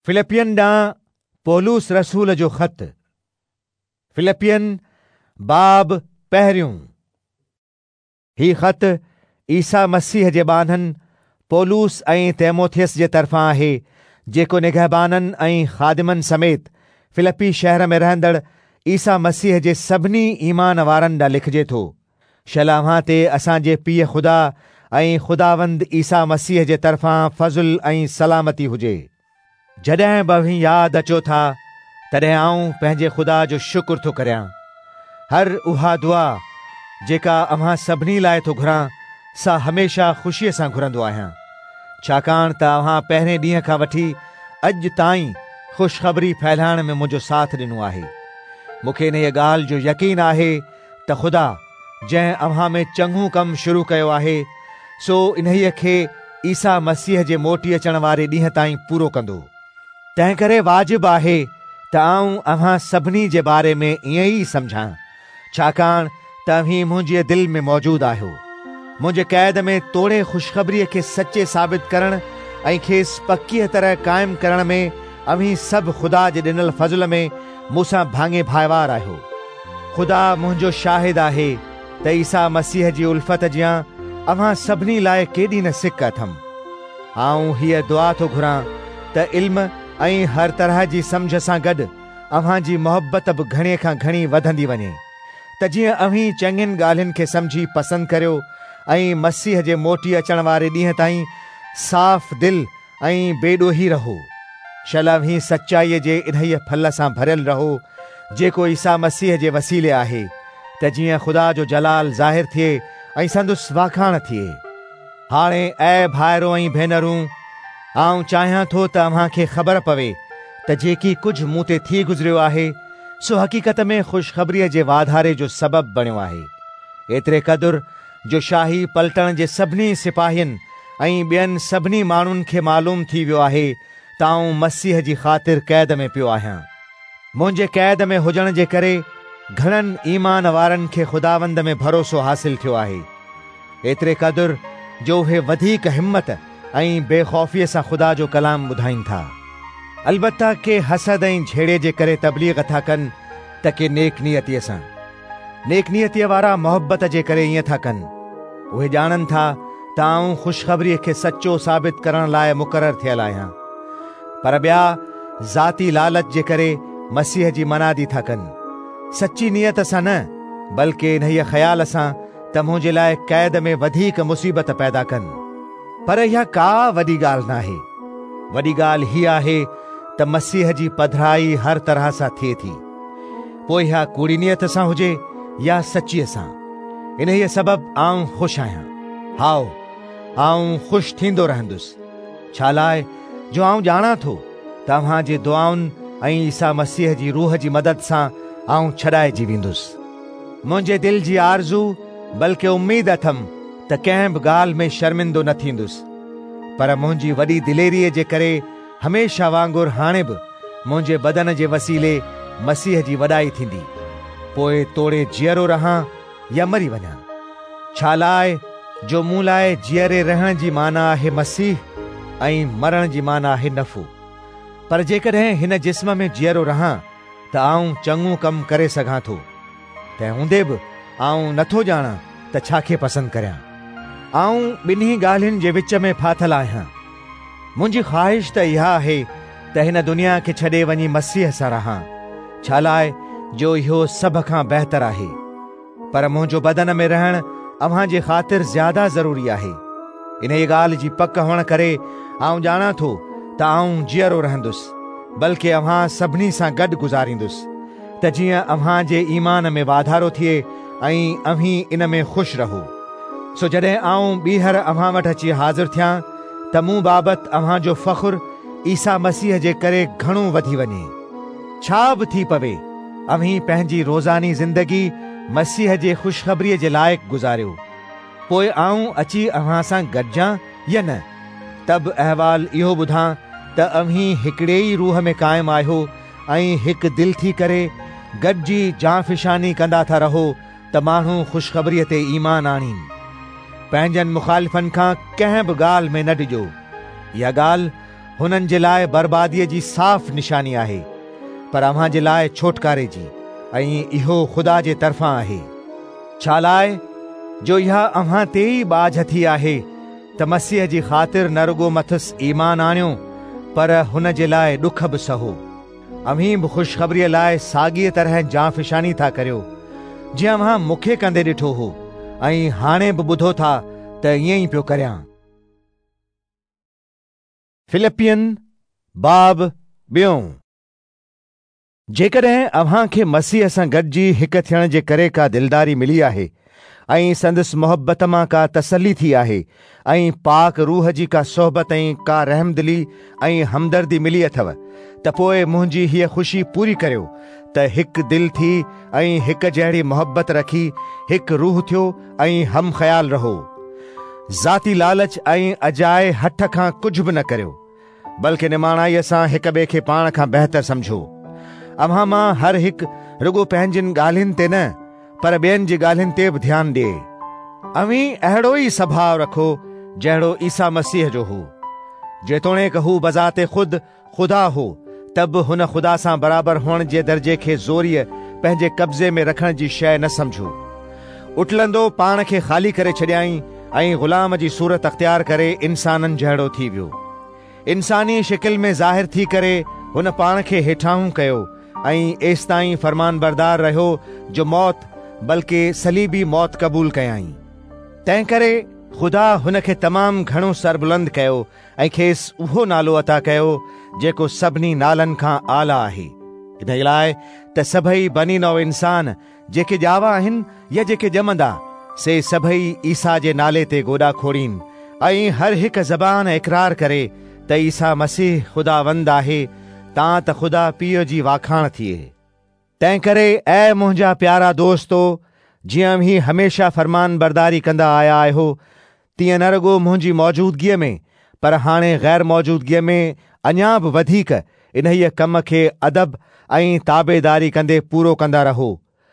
فلپين ڏانهن پولس رسول جو خط، فلپين، باب پهريون. هي خط عيسيٰ مسيح جي ٻانهن پولس ۽ تيموٿيس جي طرفان آهي، جيڪو نگهبانن ۽ خادمن سميت فلپي شهر ۾ رهندڙ عيسيٰ مسيح جي سڀني ايمان وارن ڏانهن لکجي ٿو. شل اوهان تي اسان جي پيء خدا ۽ خداوند عيسيٰ مسيح جي طرفان فضل ۽ سلامتي هجي. جڏهن به اوهين ياد اچو ٿا، تڏهن آئون پنهنجي خدا جو شڪر ٿو ڪريان. هر اها دعا جيڪا اوهان سڀني لاء ٿو گهران، سا هميشه خوشيء سان گهرندو آهيان، ڇاڪاڻ ته اوهان پهرين ڏينهن کان وٺي اڄ تائين خوشخبري ڦهلائڻ ۾ منهنجو ساٿ ڏنو آهي. مون کي انهيء ڳالهه جو يقين آهي ته خدا، جنهن اوهان ۾ چڱو ڪم شروع ڪيو آهي، سو انهيء کي عيسيٰ مسيح جي موٽي اچڻ واري ڏينهن تائين پورو ڪندو. تنهنڪري واجب آهي ته آئون اوهان سڀني جي باري ۾ ائين ئي سمجهان، ڇاڪاڻ ته اوهين منهنجيء دل ۾ موجود آهيو. منهنجي قيد ۾ توڙي خوشخبريء کي سچي ثابت ڪرڻ ۽ کيس پڪيء طرح قائم ڪرڻ ۾ اوهين سڀ خدا جي ڏنل فضل ۾ مون سان ڀاڱي ڀائيوار آهيو. خدا منهنجو شاهد آهي ته عيسيٰ مسيح جي الفت جيان اوهان سڀني لاء ڪيڏي نه سڪ اٿم. آئون هيء دعا ٿو گهران ته علم ۽ هر طرح جي سمجهه سان گڏ اوهان جي محبت به گهڻي کان گهڻي وڌندي وڃي، ته جيئن اوهين چڱين ڳالهين کي سمجهي پسند ڪريو ۽ مسيح جي موٽي اچڻ واري ڏينهن تائين صاف دل ۽ بي ڏوهي رهو. شل اوهين سچائيء جي انهيء ڦل سان ڀريل رهو، جيڪو عيسيٰ مسيح جي وسيلي آهي، ته جيئن خدا جو جلال ظاهر ٿئي ۽ سندس واکاڻ ٿئي. هاڻي اي ڀائرو ۽ ڀينرون، آئون چاهيان ٿو ته اوهان کي خبر پوي ته جيڪي ڪجهه مون تي ٿي گذريو آهي، سو حقيقت ۾ خوشخبريء جي واڌاري جو سبب بڻيو آهي. ايتري قدر جو شاهي پلٽڻ جي سڀني سپاهين ۽ ٻين سڀني ماڻهن کي معلوم ٿي ويو آهي ته آئون مسيح جي خاطر قيد ۾ پيو آهيان. منهنجي قيد ۾ هجڻ جي ڪري گهڻن ايمان وارن کي خداوند ۾ ڀروسو حاصل ٿيو آهي، ايتري قدر جو اهي وڌيڪ همت ۽ بي خوفيء سان خدا جو ڪلام ٻڌائين ٿا. البته ڪي حسد ۽ جهيڙي جي ڪري تبليغ ٿا ڪن ته ڪي نيڪ نيتيء سان. نيڪ نيتيء وارا محبت جي ڪري ائين ٿا ڪن. اهي ڄاڻن ٿا ته آئون خوشخبريء کي سچو ثابت ڪرڻ لاء مقرر ٿيل آهيان. پر ٻيا ذاتي لالچ جي ڪري مسيح جي منادي ٿا ڪن. سچي نيت سان نه، بلڪ انهيء خيال سان ته منهنجي لاء قيد ۾ وڌيڪ مصيبت پيدا ڪن. پر اها ڪا وڏي ڳالهه ناهي. وڏي ڳالهه هيء آهي ته مسيح جي پڌرائي هر طرح سان ٿئي ٿي. پوء اها ڪوڙي نيت سان هجي يا سچيء سان. انهيء سبب آئون خوش آهيان. هائو، آئون خوش ٿيندو رهندس. ڇالاء جو آئون ڄاڻان ٿو ته اوهان جي دعائن ۽ عيسيٰ مسيح جي روح جي مدد سان آئون ڇڏائجي ويندس. منهنجي دل جي آرزو بلڪه اميد اٿم ته ڪنهن به ڳالهه ۾ شرمندو نه ٿيندس، پر منهنجي وڏي دليريء جي ڪري هميشه وانگر هاڻي به منهنجي بدن جي وسيلي مسيح جي وڏائي ٿيندي، پوء توڙي جيئرو رهان يا مري وڃان. ڇالاء جو مون لاء جيئري رهڻ جي معنيٰ آهي مسيح ۽ مرڻ جي معنيٰ آهي نفعو. پر جيڪڏهن هن جسم ۾ جيئرو رهان ته آئون چڱو ڪم ڪري سگهان ٿو. تنهن هوندي به آئون نٿو ڄاڻان ته ڇا کي پسند ڪريان. آئون ٻنهي ڳالهين جي وچ ۾ ڦاٿل آهيان. منهنجي خواهش ته اها آهي ته هن دنيا کي ڇڏي وڃي مسيح سان رهان، ڇالاء جو اهو سڀ کان بهتر آهي. پر منهنجو بدن ۾ رهڻ اوهان جي خاطر زياده ضروري آهي. انهيء ڳالهه جي پڪ هئڻ ڪري آئون ڄاڻان ٿو ته آئون جيئرو رهندس، بلڪ اوهان سڀني سان گڏ گذاريندس، ته جيئن اوهان جي ايمان ۾ واڌارو ٿئي ۽ اوهين ان ۾ خوش رهو. سو جڏهن آئون ٻيهر اوهان وٽ اچي حاضر ٿيان ته مون بابت اوهان جو فخر عيسيٰ مسيح جي ڪري گهڻو وڌي وڃي. ڇا به ٿي پوي، اوهين پنهنجي روزاني زندگي مسيح جي خوشخبريء جي لائق گذاريو. پوء آئون اچي اوهان سان گڏجان يا نه، ته به احوال اهو ٻڌان ته اوهين هڪڙي ئي روح ۾ قائم آهيو ۽ هڪ دل ٿي ڪري گڏجي جانفشاني ڪندا ٿا رهو ته ماڻهو خوشخبريء تي ايمان آڻين. پنهنجن مخالفن کان ڪنهن به ڳالهه ۾ نه ڊڄو. اها ڳالهه. هنن جي لاء برباديء جي صاف نشاني آهي، پر اوهان جي لاء ڇوٽڪاري جي، ۽ اهو خدا جي طرفان آهي. ڇالاء جو اها اوهان تي ئي ٻاجهه ٿي آهي ته مسيح جي خاطر نه رڳو مٿس ايمان آڻيو، پر هن جي لاء ڏک به سهو. اوهين به خوشخبريء لاء ساڳيء طرح جانفشاني ٿا ڪريو، جيئن اوهان مون کي ڪندي ڏٺو هو ۽ هاڻي به ٻڌو ٿا ته ائين ئي پيو ڪريان. فلپين باب ٻيون. جيڪڏهن اوهان کي مسيح سان گڏجي هڪ ٿيڻ جي ڪري ڪا دلداري ملي آهي ۽ سندس محبت مان ڪا تسلي ٿي آهي ۽ پاڪ روح جي ڪا صحبت ۽ ڪا رحمدلي ۽ همدردي ملي اٿو ته پوء منهنجي هيء خوشي پوري ڪريو ته هڪ دل ٿي ۽ هڪ جهڙي محبت رکي هڪ روح ٿيو ۽ هم خيال رهو. ذاتي لالچ ۽ اجائي هٺ کان ڪجهه به نه ڪريو، بلڪ نماڻائيء سان هڪ ٻئي کي پاڻ کان بهتر سمجهو. اوهان مان هر هڪ رڳو پنهنجين ڳالهين تي نه، پر ٻين جي ڳالهين تي به ڌيان ڏئي. اوهين اهڙو ئي سڀاء رکو جهڙو عيسيٰ مسيح جو هو. جيتوڻيڪ هو بذات خود خدا هو، ته به هن خدا سان برابر هئڻ جي درجي کي زوريء پنهنجي قبضي ۾ رکڻ جي شيء نه سمجهيو. اٽلندو پاڻ کي خالي ڪري ڇڏيائين ۽ غلام جي صورت اختيار ڪري انسانن جهڙو ٿي ويو. انساني شڪل ۾ ظاهر ٿي ڪري هن پاڻ کي هيٺاهون ڪيو ۽ ايستائين فرمانبردار رهيو جو موت، بلڪ صليبي موت قبول ڪيائين. تنهنڪري خدا هن کي تمام گهڻو سربلند ڪيو ۽ کيس اهو نالو عطا ڪيو جيڪو سڀني نالن کان اعليٰ آهي، انهيء لاء ته سڀئي بني نوع انسان، جيڪي ڄاوا آهن يا جيڪي ڄمندا، سي سڀئي عيسيٰ جي نالي تي گوڏا کوڙين ۽ هر هڪ زبان اقرار ڪري ته عيسيٰ مسيح خداوند آهي، تان ته خدا پيء جي واکاڻ ٿئي. تنهنڪري اي منهنجا پيارا دوستو، جيئن اوهين هميشه فرمانبرداري ڪندا آيا آهيو، تيئن نه رڳو منهنجي موجودگيء ۾، پر هاڻي غير موجودگيء ۾ اڃا به وڌيڪ انهيء ڪم کي ادب ۽ تابعداري ڪندي پورو ڪندا رهو،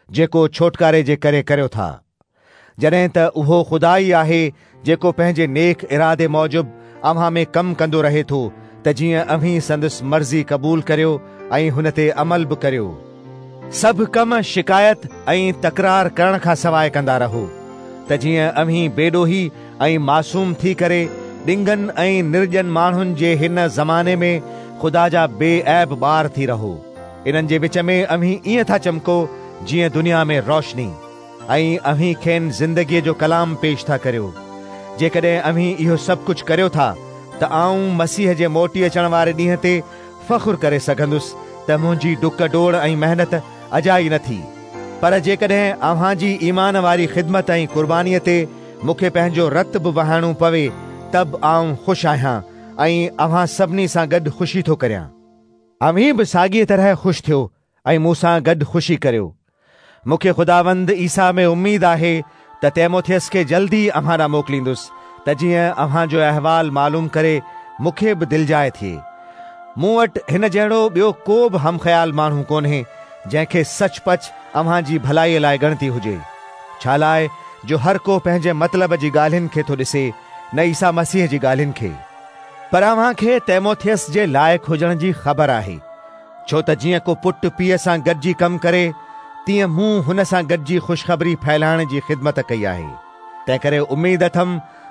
جيڪو ڇوٽڪاري جي ڪري ڪريو ٿا. جڏهن ته اهو خدا ئي آهي جيڪو پنهنجي نيڪ ارادي موجب اوهان ۾ ڪم ڪندو رهي ٿو ته جيئن اوهين سندس مرضي قبول ڪريو ۽ هن تي عمل به ڪريو. سڀ ڪم شڪايت ۽ تڪرار ڪرڻ کان سواء ڪندا رهو ته جيئن اوهين بيڏوهي ۽ معصوم ٿي ڪري ڏنگن ۽ نرڄن ماڻهن جي هن زماني ۾ خدا جا بي عيب ٻار ٿي رهو. انهن جي وچ ۾ اوهين ائين ٿا چمڪو جيئن دنيا ۾ روشني. ۽ اوهين کين زندگيء جو ڪلام پيش ٿا ڪريو. جيڪڏهن اوهين اهو سڀ ڪجهه ڪريو ٿا ته آئون مسيح جي موٽي اچڻ واري ڏينهن تي فخر ڪري سگهندس ته منهنجي ڊڪ ڊوڙ ۽ محنت اجائي نه ٿي. پر جيڪڏهن اوهان جي ايمان واري خدمت ۽ قربانيء تي مون کي پنهنجو رت به وهائڻو پوي ته به آئون خوش آهيان ۽ اوهان سڀني سان گڏ خوشي ٿو ڪريان. اوهين به ساڳيء طرح خوش ٿيو ۽ مون سان گڏ خوشي ڪريو. مون کي خداوند عيسيٰ ۾ اميد آهي ته تيموٿيس کي جلدي اوهان ڏانهن موڪليندس ته جيئن اوهان جو احوال معلوم ڪري مون کي به دلجاء ٿئي. مون وٽ هن جهڙو ٻيو ڪو به همخيال ماڻهو ڪونهي جنهن کي سچ پچ اوهان جي ڀلائيء لاء ڳڻتي هجي. ڇالاء جو هر ڪو پنهنجي مطلب جي ڳالهين کي ٿو ڏسي، نه عيسيٰ مسيح جي ڳالهين کي. پر اوهان کي تيموٿيس جي لائق هجڻ جي خبر آهي. ڇو ته جيئن ڪو پٽ پيء سان گڏجي ڪم ڪري، تيئن مون هن سان گڏجي خوشخبري ڦهلائڻ جي خدمت ڪئي آهي. تنهنڪري اميد اٿم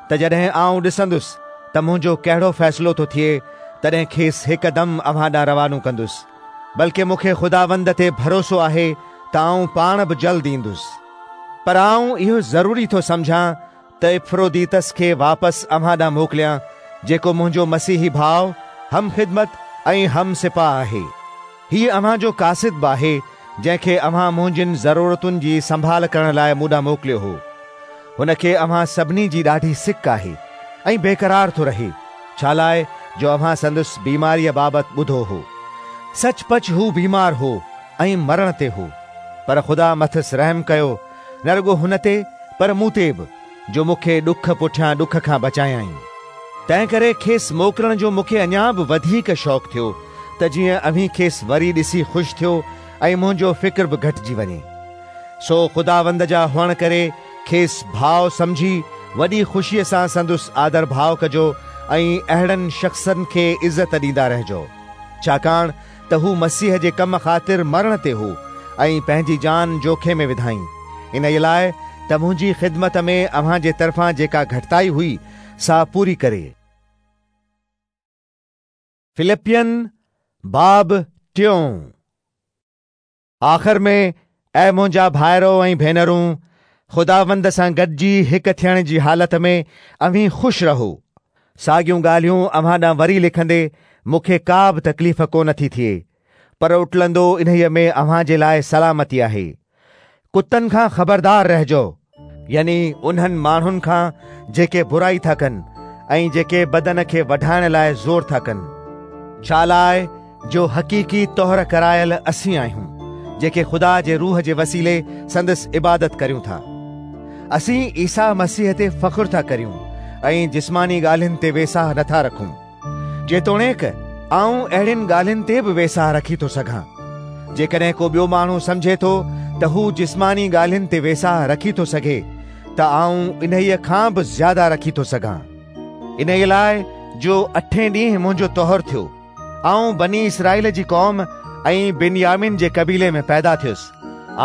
ته جڏهن آئون ڏسندس ته منهنجو ڪهڙو فيصلو ٿو ٿئي، تڏهن کيس هڪدم اوهان ڏانهن روانو ڪندس. بلڪ مون کي خداوند تي ڀروسو آهي ته آئون پاڻ به جلد ايندس. پر آئون اهو ضروري ٿو سمجهان ته اپفروديتس کي واپس اوهان ڏانهن موڪليان، جيڪو منهنجو مسيحي ڀاء، هم خدمت ۽ هم سپاهه آهي. هيء اوهان جو قاصد به آهي، جنهن کي اوهان منهنجين ضرورتن جي سنڀال ڪرڻ لاء مون ڏانهن موڪليو هو. هن کي اوهان سڀني جي ڏاڍي سڪ آهي ۽ بيقرار ٿو رهي، ڇالاء جو اوهان سندس بيماريء بابت ٻڌو هو. سچ پچ هو بيمار هو ۽ مرڻ تي هو، پر خدا مٿس رحم ڪيو، نه رڳو هن تي پر مون تي به، جو مون کي ڏک پٺيان ڏک کان بچايائين. تنهنڪري کيس موڪلڻ جو مون کي اڃا به وڌيڪ شوق ٿيو، ته جيئن اوهين کيس وري ڏسي خوش ٿيو ۽ منهنجو فڪر به گهٽجي وڃي. سو خداوند جا هئڻ ڪري کيس ڀاء سمجهي وڏي خوشيء سان سندس آدرڀاء ڪجو ۽ اهڙن شخصن کي عزت ڏيندا رهجو، ڇاڪاڻ ته هو مسيح جي ڪم خاطر مرڻ تي هو ۽ پنهنجي جان جوکي ۾ وڌائين، انهيء لاء ته منهنجي خدمت ۾ اوهان جي طرفان جيڪا گهٽتائي هئي، سا پوري ڪري. فلپين باب ٽيون. آخر ۾، اي منهنجا ڀائرو ۽ ڀينرون، خداوند سان گڏجي هڪ ٿيڻ جي حالت ۾ اوهين خوش رهو. ساڳيون ڳالهيون اوهان ڏانهن وري لکندي مون کي ڪا به تڪليف ڪونه ٿي ٿئي، پر اٽلندو انهيء ۾ اوهان جي لاء سلامتي آهي. ڪتن کان خبردار رهجو، يعني انهن ماڻهن کان جيڪي برائي ٿا ڪن ۽ جيڪي بدن کي وڍائڻ لاء زور ٿا ڪن. ڇا لاء جو حقيقي طهر ڪرايل اسين آهيون، جيڪي خدا جي روح جي وسيلي سندس عبادت ڪريون ٿا. اسين عيسيٰ مسيح تي فخر ٿا ڪريون ۽ جسماني ڳالهين تي ويساهه نٿا رکون. جيتوڻيڪ آئون اهڙين ڳالهين تي به ويساهه رکي ٿو سگهان. جيڪڏهن ڪو ٻيو ماڻهو سمجهي ٿو ته هو جسماني ڳالهين تي ويساهه رکي ٿو سگهي ته آئون انهيء کان به زياده رکي ٿو سگهان. انهيء لاء جو اٺين ڏينهن منهنجو طهر ٿيو. آئون بني اسرائيل جي قوم ۽ بنيامين جي قبيلي ۾ پيدا ٿيس.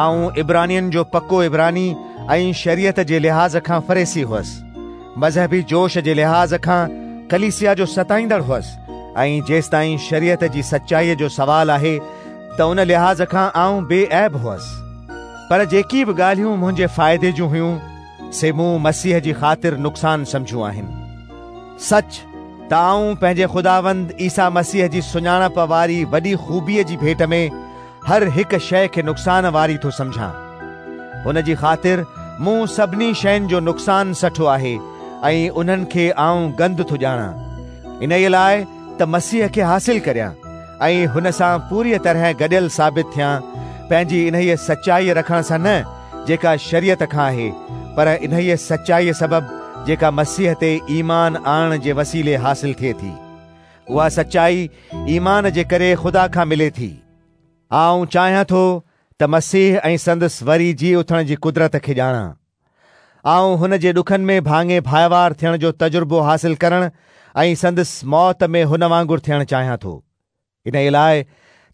آئون عبرانين جو پڪو عبراني ۽ شريعت جي لحاظ کان فريسي هئس. مذهبي جوش جي لحاظ کان ڪليسيا جو ستائيندڙ هئس ۽ جيستائين شريعت جي سچائيء جو سوال آهي ته ان لحاظ کان آئون بي عيب هئس. پر جيڪي به ڳالهيون منهنجي فائدي جون هيون، سي مون مسيح جي خاطر نقصان سمجهيون آهن. سچ ته آئون پنهنجي خداوند عيسيٰ مسيح جي سڃاڻپ واري وڏي خوبيء جي ڀيٽ ۾ هر هڪ شيء کي نقصان واري ٿو سمجهان. هن جي خاطر مون سڀني شين جو نقصان سٺو آهي ۽ انهن کي آئون گند ٿو ڄاڻان، انهيء لاء ته مسيح کي حاصل ڪريان ۽ هن سان پوريء طرح گڏيل ثابت ٿيان، پنهنجي انهيء سچائيء رکڻ سان نه جيڪا شريعت کان آهي، پر انهيء سچائيء سبب جيڪا مسيح تي ايمان آڻڻ جي وسيلي حاصل ٿئي ٿي. اها سچائي ايمان جي ڪري خدا کان ملي ٿي. آئون چاهيان ٿو ته مسيح ۽ سندس وري جي اٿڻ جي قدرت کي ڄاڻان. آئون هن جي ڏکن ۾ ڀاڱي ڀائيوار ٿيڻ جو تجربو حاصل ڪرڻ ۽ سندس موت ۾ هن وانگر ٿيڻ چاهيان ٿو. انهيء لاء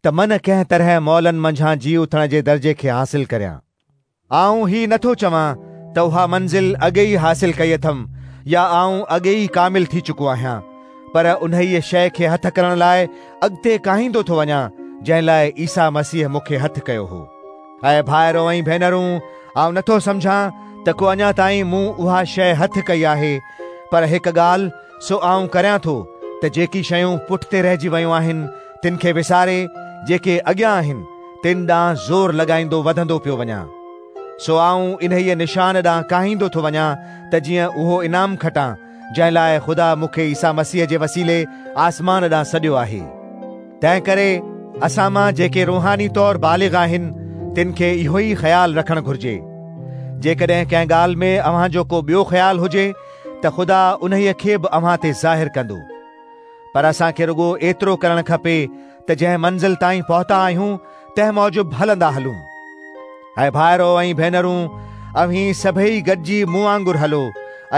ته من ڪنهن طرح مئلن منجهان جي اٿڻ جي درجي کي حاصل ڪريان. آئون هي نه ٿو چوان ته اها منزل اڳي ئي حاصل ڪئي اٿم يا آئون اڳي ئي ڪامل ٿي چڪو آهيان، پر انهيء شيء کي هٿ ڪرڻ لاء اڳتي ڪاهيندو ٿو وڃان، جنهن لاء عيسيٰ مسيح مون کي هٿ ڪيو هو. اي ڀائرو ۽ ڀينرون، آئون نه ٿو سمجهان ته ڪو اڃا تائين مون اها شيء هٿ ڪئي آهي، پر هڪ ڳالهه سو آئون ڪريان ٿو ته جيڪي شيون پٺتي رهجي ويون آهن، تن کي وساري، جيڪي اڳيان آهن، تن ڏانهن زور لڳائيندو وڌندو پيو وڃان. سو آئون انهيء نشان ڏانهن ڪاهيندو ٿو وڃان ته جيئن اهو انعام کٽان، جنهن لاء خدا مون کي عيسيٰ مسيح جي وسيلي آسمان ڏانهن سڏيو آهي. تنهنڪري اسان مان جيڪي روحاني طور بالغ آهن، تن کي اهو ئي خيال رکڻ گهرجي. جيڪڏهن ڪنهن ڳالهه ۾ اوهان جو ڪو ٻيو خيال هجي ته خدا انهيء کي به اوهان تي ظاهر ڪندو. پر اسان کي رڳو ايترو ڪرڻ کپي ته جنهن منزل تائين پهتا آهيون تنهن موجب هلندا هلون. اي ڀائرو ۽ ڀينرون، اوهين سڀيئي گڏجي مون وانگر هلو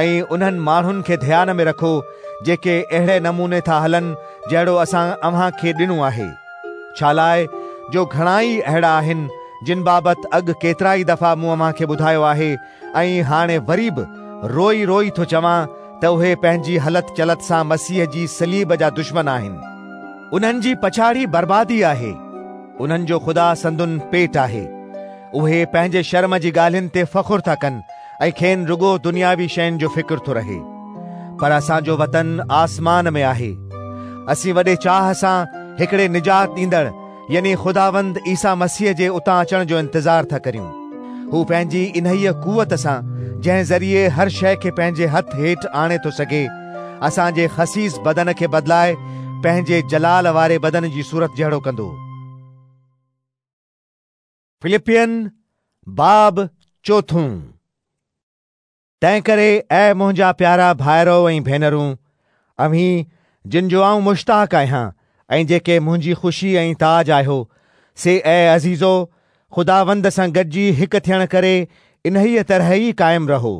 ۽ انهن ماڻهن کي ڌيان ۾ رکو جيڪي اهڙي نموني ٿا هلن جهڙو اسان اوهان کي ڏنو آهي. ڇالاء جو گهڻائي اهڙا آهن جن بابت اڳ ڪيترائي دفعا مون اوهان کي ٻڌايو آهي ۽ هاڻي وري به روئي روئي ٿو چوان ته اهي پنهنجي هلت چلت سان مسيح جي صليب جا دشمن آهن. انهن جي پڇاڙي بربادي آهي. انهن جو خدا سندن پيٽ آهي. اهي پنهنجي شرم جي ڳالهين تي فخر ٿا ڪن ۽ کين رڳو دنياوي شين جو فڪر ٿو رهي. پر اسان جو وطن آسمان ۾ آهي. اسين وڏي چاهه سان هڪڙي نجات ڏيندڙ يعني خداوند عيسيٰ مسيح جي اتان اچڻ جو انتظار ٿا ڪريون. هو پنهنجي انهيء قوت سان، جنهن ذريعي هر شيء کي پنهنجي هٿ هيٺ آڻي ٿو سگهي، اسان جي خسيس بدن کي بدلائي پنهنجي جلال واري بدن جي صورت جهڙو ڪندو. فلپين باب چوٿون. تنهنڪري اي منهنجا پيارا ڀائرؤ ۽ ڀينرون، اوهين جن جو آئون مشتاق آهيان ۽ جيڪي منهنجي خوشي ۽ تاج آهيو، سي اي عزيزو، خداوند سان گڏجي هڪ ٿيڻ ڪري انهيء طرح ئي قائم رهو.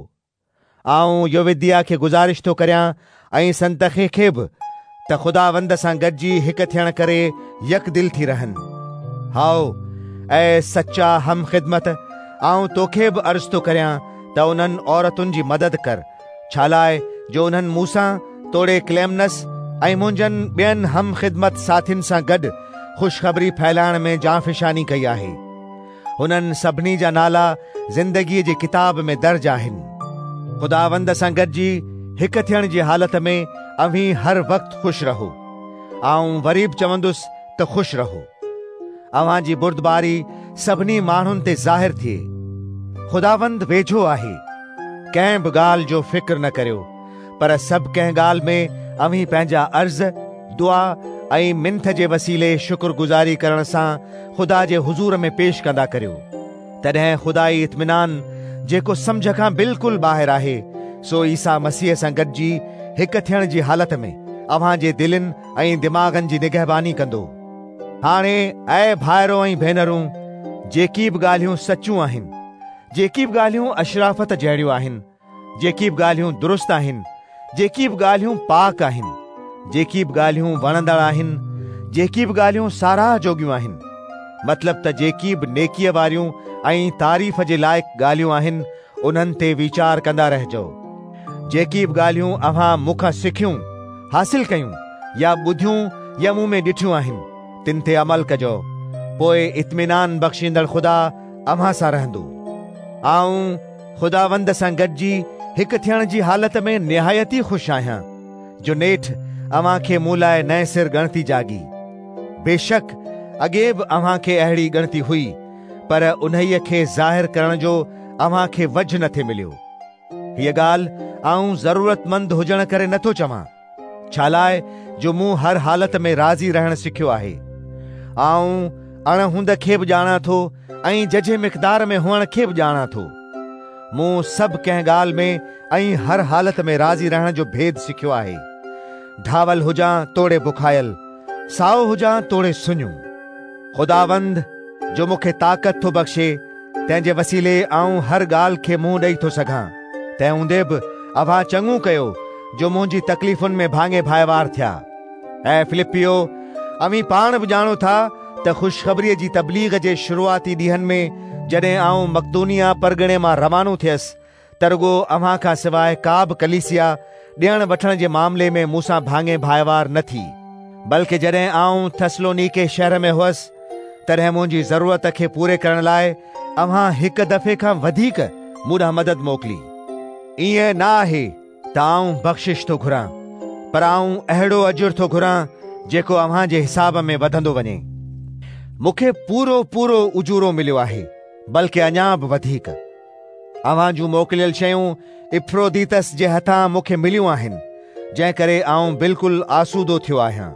آئون يووديا کي گذارش ٿو ڪريان ۽ سنتخي کي به ته خداوند سان گڏجي هڪ ٿيڻ ڪري يڪدل ٿي رهن. هائو، اي سچا هم خدمت، آئون توکي به عرض ٿو ڪريان ته انهن عورتن جي مدد ڪر، ڇالاء جو انهن مون سان توڙي ڪليمنس ۽ منهنجن ٻين هم خدمت ساٿين سان گڏ خوشخبري ڦهلائڻ ۾ جانفشاني ڪئي آهي. هنن سڀني جا نالا زندگيء جي ڪتاب ۾ درج آهن. خداوند سان گڏجي هڪ ٿيڻ جي حالت ۾ اوهين هر وقت خوش رهو. آئون وري به چوندس ته خوش رهو. اوهان جي بردباري سڀني ماڻهن تي ظاهر ٿئي. خداوند ويجهو آهي. ڪنهن به ڳالهه جو فڪر نه ڪريو، پر سڀ ڪنهن ڳالهه ۾ اوهين پنهنجا عرض، دعا ۽ منٿ جي وسيلي شڪرگذاري ڪرڻ سان خدا جي حضور ۾ پيش ڪندا ڪريو. تڏهن خدائي اطمينان، جيڪو سمجهه کان بلڪل ٻاهر آهي، سو عيسيٰ مسيح سان گڏجي هڪ ٿيڻ جي حالت ۾ اوهان جي دلين ۽ دماغن جي نگهباني ڪندو. هاڻي اي ڀائرو ۽ ڀينرون، جيڪي به ڳالهيون سچيون آهن، جيڪي به ڳالهيون اشرافت جهڙيون آهن، جيڪي به ڳالهيون درست آهن، جيڪي به ڳالهيون پاڪ آهن، جيڪي به ڳالهيون وڻندڙ آهن، جيڪي به ڳالهيون ساراهه جوڳيون آهن، مطلب ته جيڪي به نيڪيء واريون ۽ تعريف جي لائق ڳالهيون آهن، انهن تي ويچار ڪندا رهجو. جيڪي به ڳالهيون اوهان مون کان سکيون، حاصل ڪيون يا ٻڌيون يا مون ۾ ڏٺيون آهن، تن تي عمل ڪجو، پوء اطمينان بخشيندڙ خدا اوهان سان رهندو. آئون خداوند سان گڏجي هڪ ٿيڻ جي حالت ۾ نهايت ئي خوش آهيان، جو نيٺ اوهان کي مون لاء نئين سر ڳڻتي جاڳي. بيشڪ اڳي به اوهان کي اهڙي ڳڻتي هئي، پر انهيء کي ظاهر ڪرڻ جو اوهان کي وجهه نه ٿي مليو. هيء ڳالهه آئون ضرورتمند هجڻ ڪري نه ٿو چوان، ڇالاء جو مون هر حالت ۾ راضي رهڻ سکيو آهي. آئون اڻ هوند کي به ڄاڻان ٿو ۽ ججهي مقدار ۾ هئڻ کي به ڄاڻان ٿو. مون سڀ ڪنهن ڳالهه ۾ ۽ هر حالت ۾ راضي رهڻ جو ڀيد سکيو آهي. ڍاول هجان توڙي بکايل، سائو هجان توڙي سڃو. خداوند جو مون کي طاقت ٿو بخشي، تنهن جي وسيلي آئون هر ڳالهه کي منهن ڏئي ٿو سگهان. تنهن هوندي به اوهان چڱو ڪيو جو منهنجي تڪليفن ۾ ڀاڱي ڀائيوار ٿيا. اي فلپيو، اوهين پاڻ به ڄاڻو ٿا ته خوشخبريء جي تبليغ جي شروعاتي ڏينهن ۾ جڏهن آئون مقدونيه پرڳڻي مان روانو ٿيس ته رڳو اوهان کان سواء ڪا به ڪليسيا ڏيڻ وٺڻ جي معاملي ۾ مون سان ڀاڱي ڀائيوار نه ٿي. بلڪ جڏهن آئون ٿسلونيڪي شهر ۾ هئس، تڏهن منهنجي ضرورت کي پوري ڪرڻ لاء اوهان هڪ دفعي کان وڌيڪ مون ڏانهن مدد موڪلي. ائين نه آهي ته آئون بخشش ٿو گهران، پر آئون اهڙو اجر ٿو گهران جيڪو اوهان جي حساب ۾ وڌندو وڃي. مون کي پورو پورو اجورو مليو آهي، بلڪ اڃا به وڌيڪ. اوهان جون موڪليل شيون اپفروديتس جي هٿان مون کي مليون آهن، جنهن ڪري آئون بلڪل آسودو ٿيو آهيان.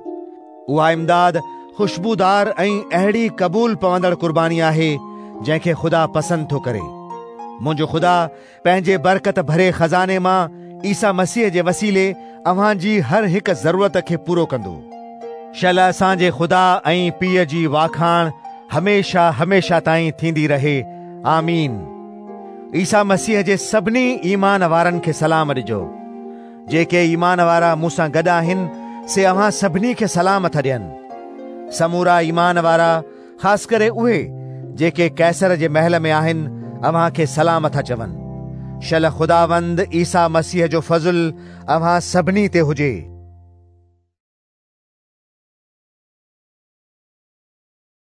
اها امداد خوشبودار ۽ اهڙي قبول پوندڙ قرباني آهي، جنهن کي خدا پسند ٿو ڪري. منهنجو خدا پنهنجي برڪت ڀري خزاني مان عيسيٰ مسيح جي وسيلي اوهان جي هر هڪ ضرورت کي پورو ڪندو. شل اسان جي خدا ۽ پيء جي واکاڻ هميشه هميشه تائين ٿيندي رهي. آمين. عيسيٰ مسيح جي سڀني ايمان وارن کي سلام ڏجو. جيڪي ايمان وارا مون سان گڏ آهن، سي اوهان سڀني کي سلام ٿا ڏين. سمورا ايمان وارا، خاص ڪري اهي جيڪي قيصر جي محل ۾ آهن، اوهان کي سلام ٿا چون. شل خداوند عيسيٰ مسيح جو فضل اوهان سڀني تي هجي.